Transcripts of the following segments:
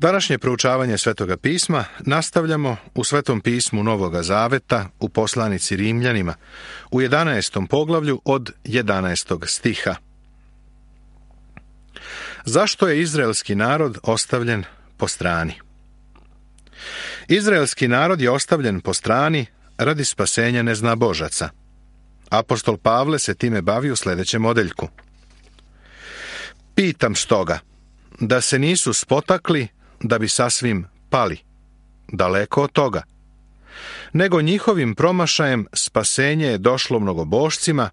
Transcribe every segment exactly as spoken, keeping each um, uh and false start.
Današnje proučavanje Svetoga pisma nastavljamo u Svetom pismu Novoga Zaveta u poslanici Rimljanima u jedanaestom poglavlju od jedanaestog stiha. Zašto je izraelski narod ostavljen po strani? Izraelski narod je ostavljen po strani radi spasenja neznabožaca. Apostol Pavle se time bavi u sljedećem odeljku. Pitam stoga, da se nisu spotakli da bi sasvim pali, daleko od toga, nego njihovim promašajem spasenje je došlo mnogobošcima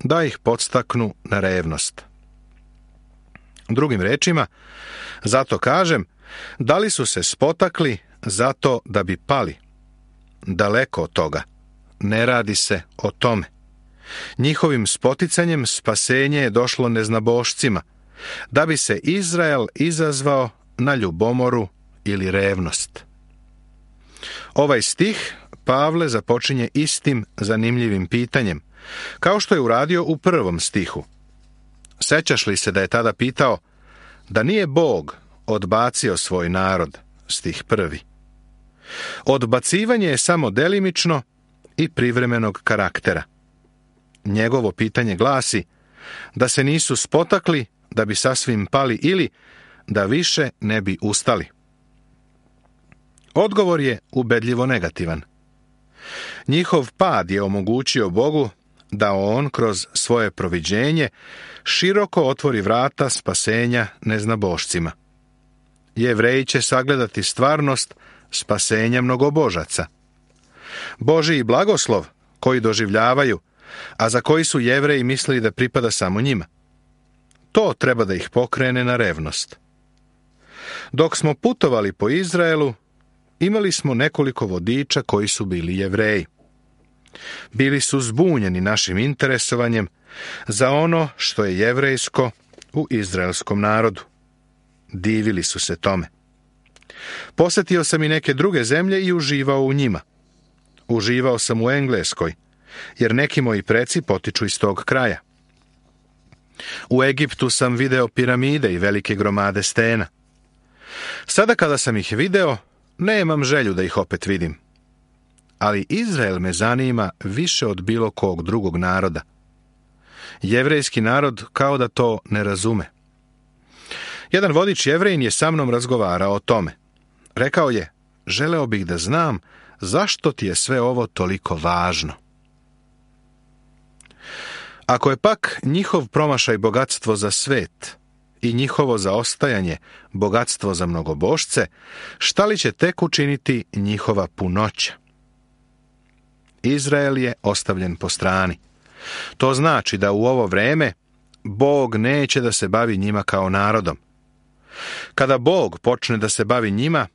da ih podstaknu na revnost. Drugim rečima, zato kažem, da li su se spotakli zato da bi pali? Daleko od toga, ne radi se o tome. Njihovim spoticanjem spasenje je došlo neznabošcima, da bi se Izrael izazvao na ljubomoru ili revnost. Ovaj stih Pavle započinje istim zanimljivim pitanjem, kao što je uradio u prvom stihu. Sećaš li se da je tada pitao da nije Bog odbacio svoj narod, stih prvi. Odbacivanje je samo delimično i privremenog karaktera. Njegovo pitanje glasi da se nisu spotakli da bi sasvim pali ili da više ne bi ustali. Odgovor je ubedljivo negativan. Njihov pad je omogućio Bogu da on kroz svoje proviđenje široko otvori vrata spasenja neznabošcima. Jevreji će sagledati stvarnost spasenja mnogobožaca. Božji blagoslov koji doživljavaju, a za koji su Jevreji mislili da pripada samo njima. To treba da ih pokrene na revnost. Dok smo putovali po Izraelu, imali smo nekoliko vodiča koji su bili Jevreji. Bili su zbunjeni našim interesovanjem za ono što je jevrejsko u izraelskom narodu. Divili su se tome. Posjetio sam i neke druge zemlje i uživao u njima. Uživao sam u Engleskoj, jer neki moji preci potiču iz tog kraja. U Egiptu sam video piramide i velike gromade stena. Sada kada sam ih video, nemam želju da ih opet vidim. Ali Izrael me zanima više od bilo kog drugog naroda. Jevrejski narod kao da to ne razume. Jedan vodič Jevrejin je sa mnom razgovarao o tome. Rekao je, želeo bih da znam zašto ti je sve ovo toliko važno. Ako je pak njihov promašaj bogatstvo za svet i njihovo zaostajanje bogatstvo za mnogobošce, šta li će tek učiniti njihova punoća? Izrael je ostavljen po strani. To znači da u ovo vreme Bog neće da se bavi njima kao narodom. Kada Bog počne da se bavi njima,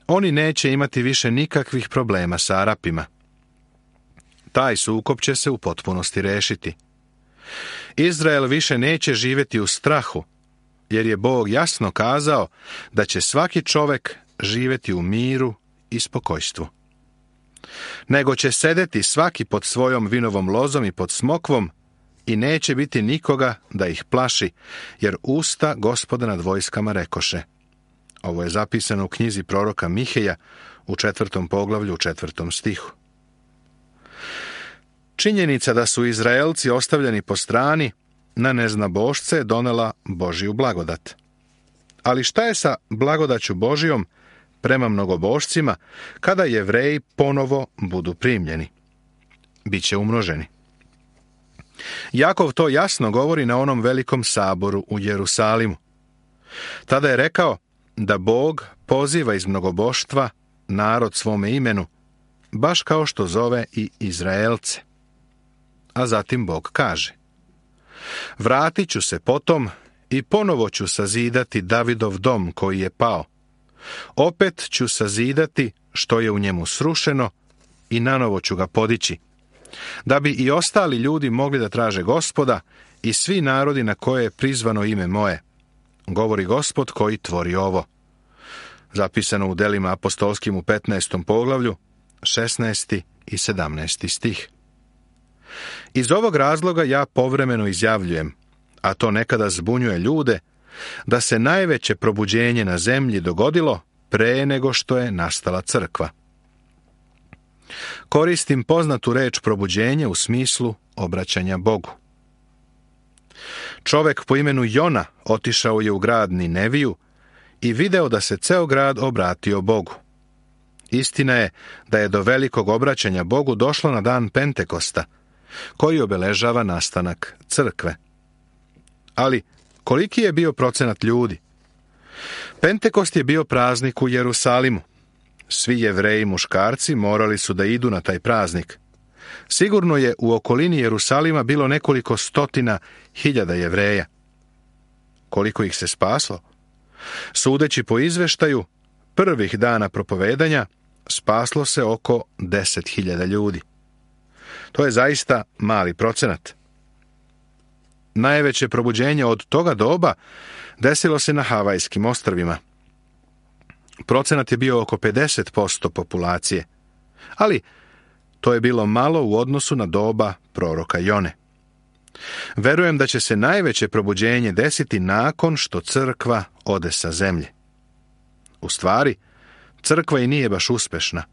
oni neće imati više nikakvih problema sa Arapima. Taj sukob će se u potpunosti rešiti. Izrael više neće živjeti u strahu, jer je Bog jasno kazao da će svaki čovek živjeti u miru i spokojstvu. Nego će sedeti svaki pod svojom vinovom lozom i pod smokvom i neće biti nikoga da ih plaši, jer usta Gospoda nad vojskama rekoše. Ovo je zapisano u knjizi proroka Miheja u četvrtom poglavlju u četvrtom stihu. Činjenica da su Izraelci ostavljeni po strani na neznabošce donela Božju blagodat. Ali šta je sa blagodaću Božijom prema mnogobošcima kada Jevreji ponovo budu primljeni? Biće umnoženi. Jakov to jasno govori na onom velikom saboru u Jerusalimu. Tada je rekao da Bog poziva iz mnogoboštva narod svome imenu, baš kao što zove i Izraelce. A zatim Bog kaže: vratit ću se potom i ponovo ću sazidati Davidov dom koji je pao. Opet ću sazidati što je u njemu srušeno i nanovo ću ga podići, da bi i ostali ljudi mogli da traže Gospoda i svi narodi na koje je prizvano ime moje, govori Gospod koji tvori ovo. Zapisano u delima apostolskim u petnaestom poglavlju, šesnaesti i sedamnaesti stih. Iz ovog razloga ja povremeno izjavljujem, a to nekada zbunjuje ljude, da se najveće probuđenje na zemlji dogodilo pre nego što je nastala crkva. Koristim poznatu reč probuđenje u smislu obraćanja Bogu. Čovek po imenu Jona otišao je u grad Nineviju i video da se ceo grad obratio Bogu. Istina je da je do velikog obraćanja Bogu došlo na dan Pentekosta, koji obeležava nastanak crkve. Ali koliki je bio procenat ljudi? Pentekost je bio praznik u Jerusalimu. Svi Jevreji muškarci morali su da idu na taj praznik. Sigurno je u okolini Jerusalima bilo nekoliko stotina hiljada Jevreja. Koliko ih se spaslo? Sudeći po izveštaju, prvih dana propovedanja spaslo se oko deset hiljada ljudi. To je zaista mali procenat. Najveće probuđenje od toga doba desilo se na Havajskim ostrvima. Procenat je bio oko pedeset posto populacije, ali to je bilo malo u odnosu na doba proroka Jone. Verujem da će se najveće probuđenje desiti nakon što crkva ode sa zemlje. U stvari, crkva i nije baš uspešna.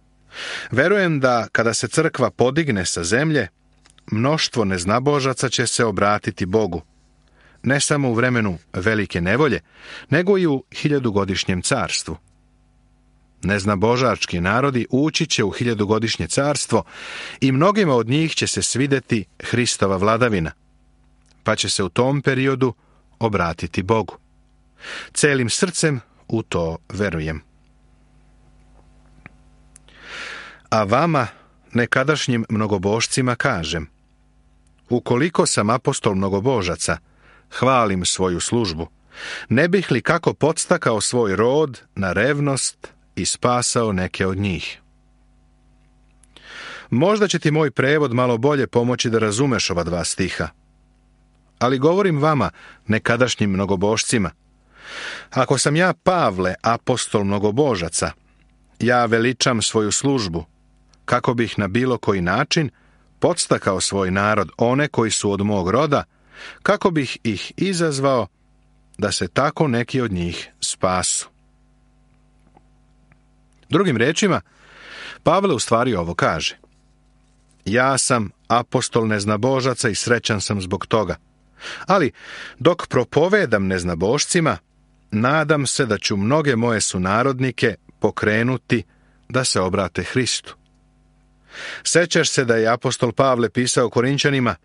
Verujem da kada se crkva podigne sa zemlje, mnoštvo neznabožaca će se obratiti Bogu, ne samo u vremenu velike nevolje, nego i u hiljadugodišnjem carstvu. Neznabožački narodi ući će u hiljadugodišnje carstvo i mnogima od njih će se svideti Hristova vladavina, pa će se u tom periodu obratiti Bogu. Celim srcem u to verujem. A vama, nekadašnjim mnogobožcima, kažem: ukoliko sam apostol mnogobožaca, hvalim svoju službu, ne bih li kako podstakao svoj rod na revnost i spasao neke od njih. Možda će ti moj prevod malo bolje pomoći da razumeš ova dva stiha. Ali govorim vama, nekadašnjim mnogobožcima: ako sam ja, Pavle, apostol mnogobožaca, ja veličam svoju službu, kako bih na bilo koji način podstakao svoj narod, one koji su od mog roda, kako bih ih izazvao da se tako neki od njih spasu. Drugim rečima, Pavle u stvari ovo kaže: ja sam apostol neznabožaca i srećan sam zbog toga. Ali, dok propovedam neznabošcima, nadam se da ću mnoge moje sunarodnike pokrenuti da se obrate Hristu. Sećaš se da je apostol Pavle pisao Korinćanima: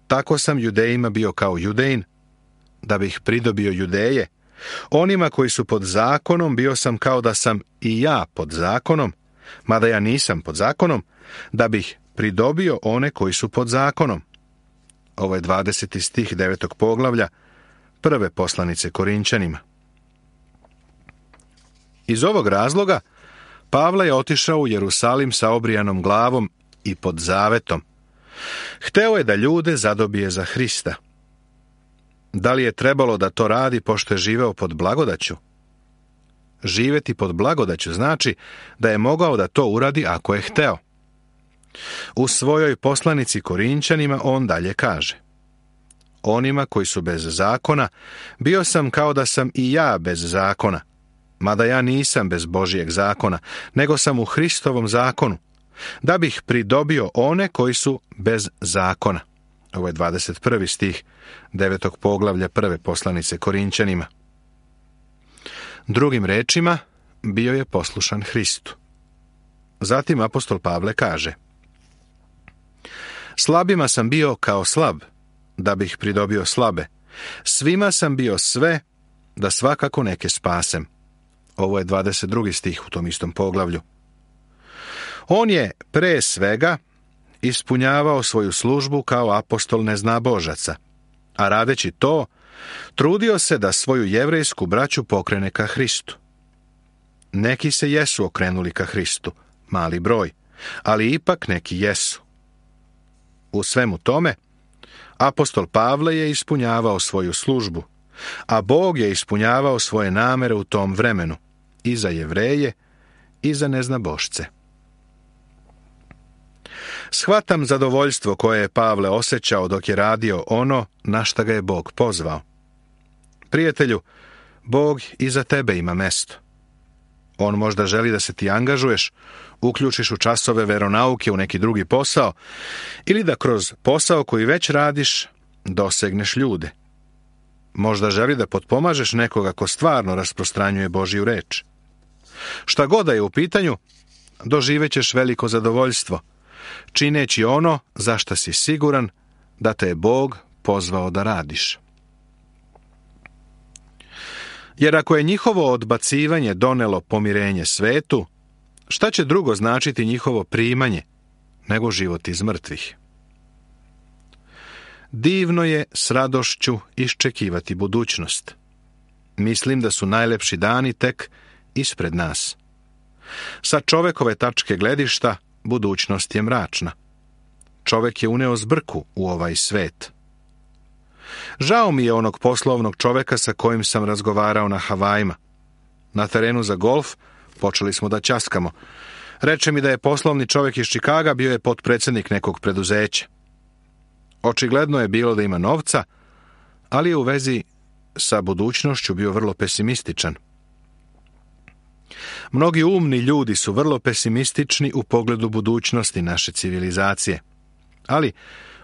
tako sam Judejima bio kao Judejin, da bih pridobio Judeje. Onima koji su pod zakonom bio sam kao da sam i ja pod zakonom, mada ja nisam pod zakonom, da bih pridobio one koji su pod zakonom. Ovo je dvadeseti stih devetog poglavlja prve poslanice Korinćanima. Iz ovog razloga Pavle je otišao u Jerusalim sa obrijanom glavom i pod zavetom. Hteo je da ljude zadobije za Hrista. Da li je trebalo da to radi pošto je živeo pod blagodaću? Živeti pod blagodaću znači da je mogao da to uradi ako je hteo. U svojoj poslanici Korinćanima on dalje kaže: onima koji su bez zakona, bio sam kao da sam i ja bez zakona, mada ja nisam bez Božijeg zakona, nego sam u Hristovom zakonu, da bih pridobio one koji su bez zakona. Ovo je dvadeset prvi stih devetog poglavlja prve poslanice Korinćanima. Drugim rečima, bio je poslušan Hristu. Zatim apostol Pavle kaže: slabima sam bio kao slab, da bih pridobio slabe. Svima sam bio sve, da svakako neke spasem. Ovo je dvadeset drugi stih u tom istom poglavlju. On je pre svega ispunjavao svoju službu kao apostol neznabožaca, a radeći to, trudio se da svoju jevrejsku braću pokrene ka Hristu. Neki se jesu okrenuli ka Hristu, mali broj, ali ipak neki jesu. U svemu tome, apostol Pavle je ispunjavao svoju službu, a Bog je ispunjavao svoje namere u tom vremenu, i za Jevreje, i za neznabošce. Shvatam zadovoljstvo koje je Pavle osjećao dok je radio ono na šta ga je Bog pozvao. Prijatelju, Bog i za tebe ima mesto. On možda želi da se ti angažuješ, uključiš u časove veronauke u neki drugi posao ili da kroz posao koji već radiš dosegneš ljude. Možda želi da potpomažeš nekoga ko stvarno rasprostranjuje Božju reč. Šta god da je u pitanju, doživećeš veliko zadovoljstvo, čineći ono za šta si siguran da te je Bog pozvao da radiš. Jer ako je njihovo odbacivanje donelo pomirenje svetu, šta će drugo značiti njihovo primanje nego život iz mrtvih? Divno je s radošću iščekivati budućnost. Mislim da su najlepši dani tek ispred nas. Sa čovekove tačke gledišta, budućnost je mračna. Čovek je uneo zbrku u ovaj svet. Žao mi je onog poslovnog čoveka sa kojim sam razgovarao na Havajima. Na terenu za golf počeli smo da ćaskamo. Reče mi da je poslovni čovek iz Čikaga, bio je potpredsjednik nekog preduzeća. Očigledno je bilo da ima novca, ali je u vezi sa budućnošću bio vrlo pesimističan. Mnogi umni ljudi su vrlo pesimistični u pogledu budućnosti naše civilizacije. Ali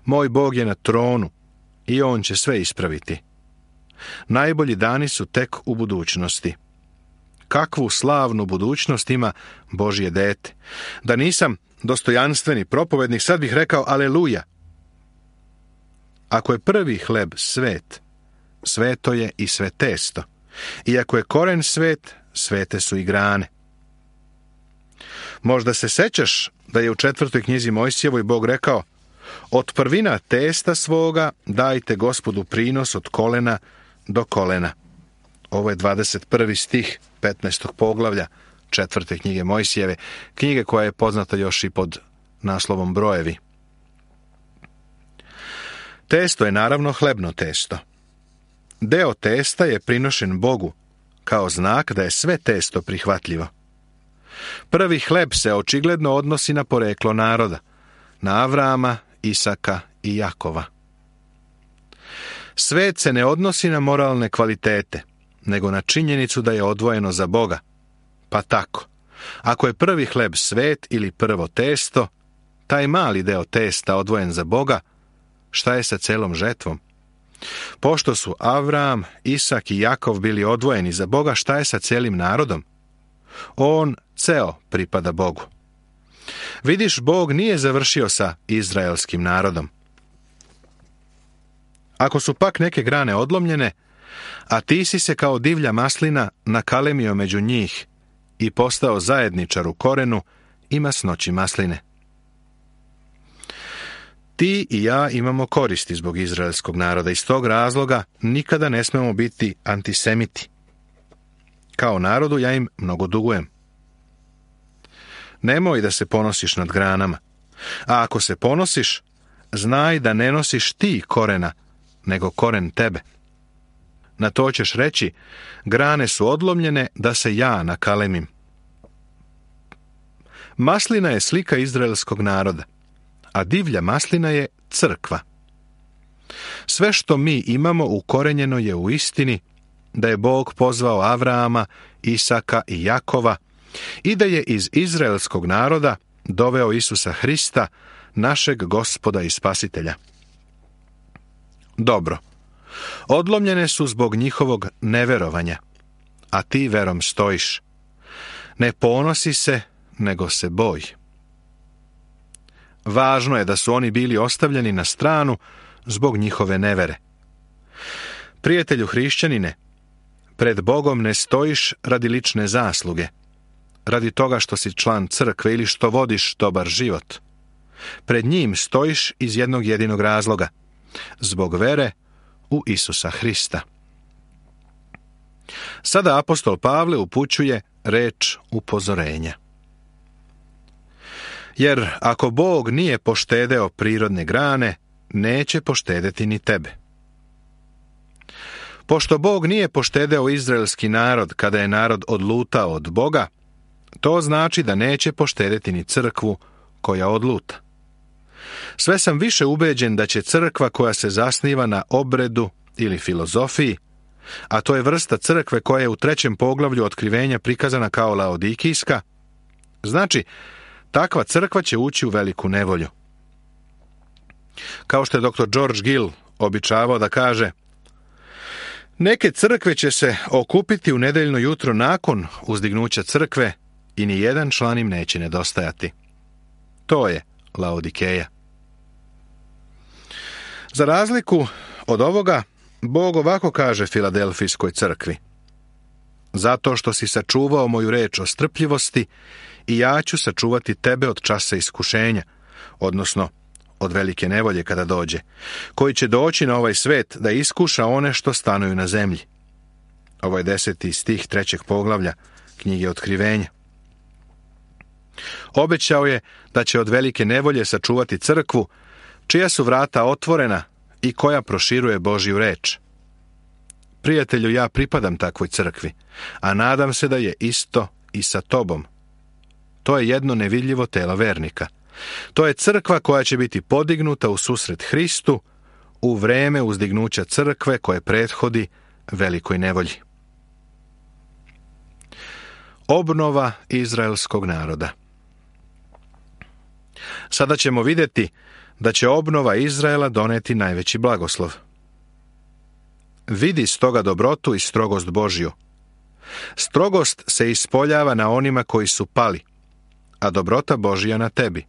moj Bog je na tronu i on će sve ispraviti. Najbolji dani su tek u budućnosti. Kakvu slavnu budućnost ima Božje dete. Da nisam dostojanstveni propovednik, sad bih rekao aleluja. Ako je prvi hleb svet, sveto je i sve testo. I ako je koren svet, svete su i grane. Možda se sećaš da je u četvrtoj knjizi Mojsijevoj Bog rekao: od prvina testa svoga dajte Gospodu prinos od kolena do kolena. Ovo je dvadeset prvi stih petnaestog poglavlja četvrte knjige Mojsijeve, knjige koja je poznata još i pod naslovom Brojevi. Testo je naravno hlebno testo. Deo testa je prinošen Bogu kao znak da je sve testo prihvatljivo. Prvi hleb se očigledno odnosi na poreklo naroda, na Avrama, Isaka i Jakova. Svet se ne odnosi na moralne kvalitete, nego na činjenicu da je odvojeno za Boga. Pa tako, ako je prvi hleb svet ili prvo testo, taj mali deo testa odvojen za Boga, šta je sa celom žetvom? Pošto su Avram, Isak i Jakov bili odvojeni za Boga, šta je sa celim narodom? On ceo pripada Bogu. Vidiš, Bog nije završio sa izraelskim narodom. Ako su pak neke grane odlomljene, a ti si se kao divlja maslina nakalemio među njih i postao zajedničar u korenu i masnoći masline. Ti i ja imamo koristi zbog izraelskog naroda. Iz tog razloga nikada ne smemo biti antisemiti. Kao narodu ja im mnogo dugujem. Nemoj da se ponosiš nad granama. A ako se ponosiš, znaj da ne nosiš ti korena, nego koren tebe. Na to ćeš reći: grane su odlomljene da se ja nakalemim. Maslina je slika izraelskog naroda, a divlja maslina je crkva. Sve što mi imamo ukorenjeno je u istini da je Bog pozvao Avrama, Isaka i Jakova i da je iz izraelskog naroda doveo Isusa Hrista, našeg Gospoda i Spasitelja. Dobro, odlomljene su zbog njihovog neverovanja, a ti verom stojiš. Ne ponosi se, nego se boj. Važno je da su oni bili ostavljeni na stranu zbog njihove nevere. Prijatelju hrišćanine, pred Bogom ne stojiš radi lične zasluge, radi toga što si član crkve ili što vodiš dobar život. Pred njim stojiš iz jednog jedinog razloga, zbog vere u Isusa Hrista. Sada apostol Pavle upućuje reč upozorenja. Jer ako Bog nije poštedeo prirodne grane, neće poštedeti ni tebe. Pošto Bog nije poštedeo izraelski narod kada je narod odlutao od Boga, to znači da neće poštedeti ni crkvu koja odluta. Sve sam više ubeđen da će crkva koja se zasniva na obredu ili filozofiji a to je vrsta crkve koja je u trećem poglavlju otkrivenja prikazana kao laodikijska, znači, takva crkva će ući u veliku nevolju. Kao što je doktor George Gill običavao da kaže, neke crkve će se okupiti u nedeljno jutro nakon uzdignuća crkve i ni jedan član im neće nedostajati. To je Laodikeja. Za razliku od ovoga, Bog ovako kaže Filadelfijskoj crkvi. Zato što si sačuvao moju reč o strpljivosti, i ja ću sačuvati tebe od časa iskušenja, odnosno od velike nevolje kada dođe, koji će doći na ovaj svet da iskuša one što stanuju na zemlji. Ovo je deseti stih trećeg poglavlja knjige Otkrivenja. Obećao je da će od velike nevolje sačuvati crkvu, čija su vrata otvorena i koja proširuje Božju reč. Prijatelju, ja pripadam takvoj crkvi, a nadam se da je isto i sa tobom. To je jedno nevidljivo telo vernika. To je crkva koja će biti podignuta u susret Hristu u vreme uzdignuća crkve koje prethodi velikoj nevolji. Obnova izraelskog naroda. Sada ćemo vidjeti da će obnova Izraela doneti najveći blagoslov. Vidi stoga dobrotu i strogost Božju. Strogost se ispoljava na onima koji su pali, a dobrota Božja na tebi.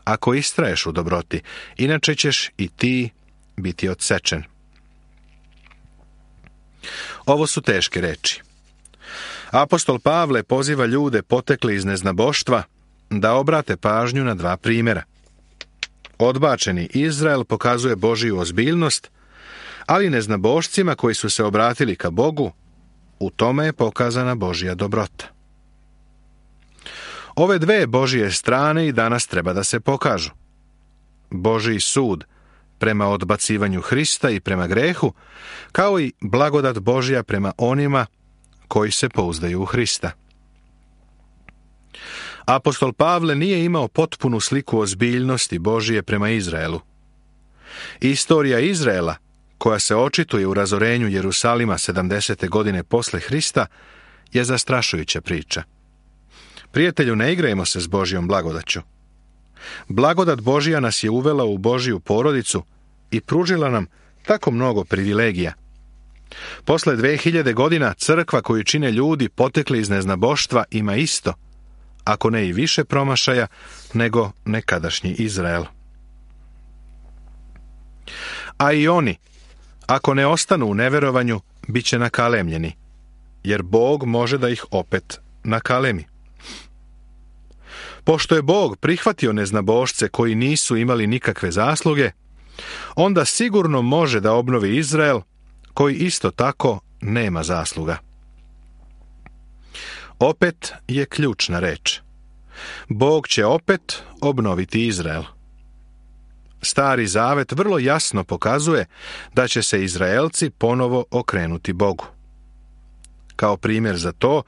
Ako istraješ u dobroti, inače ćeš i ti biti odsečen. Ovo su teške reči. Apostol Pavle poziva ljude potekli iz neznaboštva da obrate pažnju na dva primjera. Odbačeni Izrael pokazuje Božju ozbiljnost, ali neznabošcima koji su se obratili ka Bogu, u tome je pokazana Božja dobrota. Ove dve Božje strane i danas treba da se pokažu. Božji sud prema odbacivanju Hrista i prema grehu, kao i blagodat Božja prema onima koji se pouzdaju u Hrista. Apostol Pavle nije imao potpunu sliku ozbiljnosti Božije prema Izraelu. Istorija Izraela, koja se očituje u razorenju Jerusalima sedamdesete godine posle Hrista, je zastrašujuća priča. Prijatelju, ne igrajmo se s Božjom blagodaću. Blagodat Božja nas je uvela u Božju porodicu i pružila nam tako mnogo privilegija. Posle dve hiljade godina crkva koju čine ljudi potekli iz neznaboštva ima isto, ako ne i više promašaja, nego nekadašnji Izrael. A i oni, ako ne ostanu u neverovanju, bit će nakalemljeni, jer Bog može da ih opet nakalemi. Pošto je Bog prihvatio neznabošce koji nisu imali nikakve zasluge, onda sigurno može da obnovi Izrael, koji isto tako nema zasluga. Opet je ključna reč. Bog će opet obnoviti Izrael. Stari zavet vrlo jasno pokazuje da će se Izraelci ponovo okrenuti Bogu. Kao primjer za to,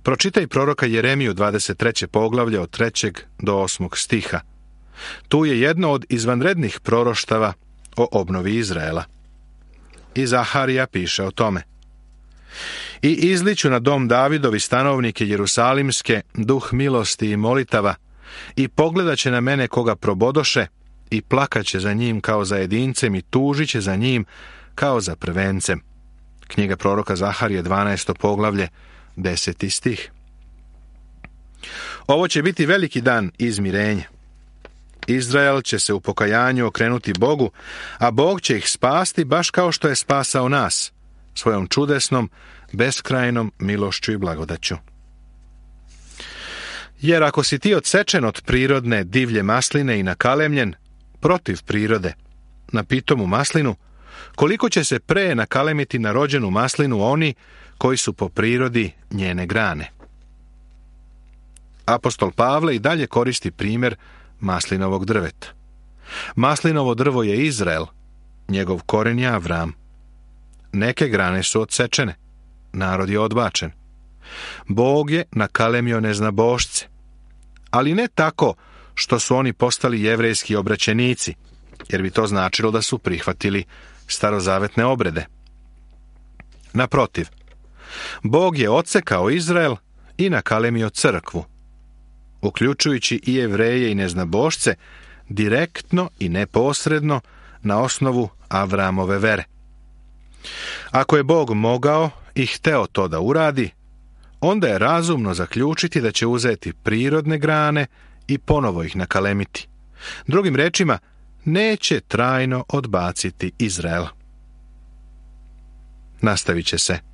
pročitaj proroka Jeremiju dvadeset treće poglavlje od trećeg do osmog stiha. Tu je jedno od izvanrednih proroštava o obnovi Izraela. I Zaharija piše o tome. I izliću na dom Davidovi stanovnike Jerusalimske duh milosti i molitava, i pogledat će na mene koga probodoše, i plakaće za njim kao za jedincem, i tužit će za njim kao za prvencem. Knjiga proroka Zaharije, dvanaesto poglavlje, deseti stih. Ovo će biti veliki dan izmirenja. Izrael će se u pokajanju okrenuti Bogu, a Bog će ih spasti baš kao što je spasao nas, svojom čudesnom, beskrajnom milošću i blagodaću. Jer ako si ti odsečen od prirodne divlje masline i nakalemljen, protiv prirode, na pitomu maslinu, koliko će se pre nakalemiti na rođenu maslinu oni koji su po prirodi njene grane. Apostol Pavle i dalje koristi primjer maslinovog drveta. Maslinovo drvo je Izrael, njegov koren je Avram. Neke grane su odsečene, narod je odbačen. Bog je nakalemio neznabošce, ali ne tako što su oni postali jevrejski obraćenici, jer bi to značilo da su prihvatili starozavetne obrede. Naprotiv, Bog je odsekao Izrael i nakalemio crkvu, uključujući i Jevreje i neznabošce, direktno i neposredno na osnovu Avramove vere. Ako je Bog mogao i hteo to da uradi, onda je razumno zaključiti da će uzeti prirodne grane i ponovo ih nakalemiti. Drugim rečima, neće trajno odbaciti Izrael. Nastavit će se.